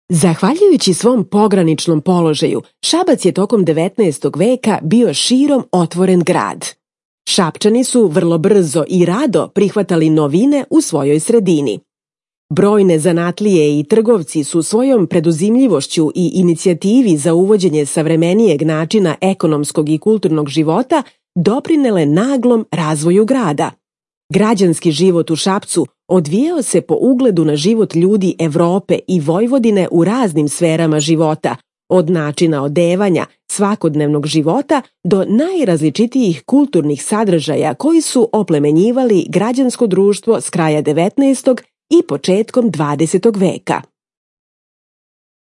Zahvaljujući svom pograničnom položaju, Šabac je tokom 19. veka bio širom otvoren grad. Šapčani su vrlo brzo i rado prihvatali novine u svojoj sredini. Brojne zanatlije i trgovci su svojom preduzimljivošću i inicijativi za uvođenje savremenijeg načina ekonomskog i kulturnog života doprinele naglom razvoju grada. Građanski život u Šapcu odvijao se po ugledu na život ljudi Evrope i Vojvodine u raznim sferama života, od načina odevanja, svakodnevnog života do najrazličitijih kulturnih sadržaja koji su oplemenjivali građansko društvo s kraja 19. i početkom 20. veka.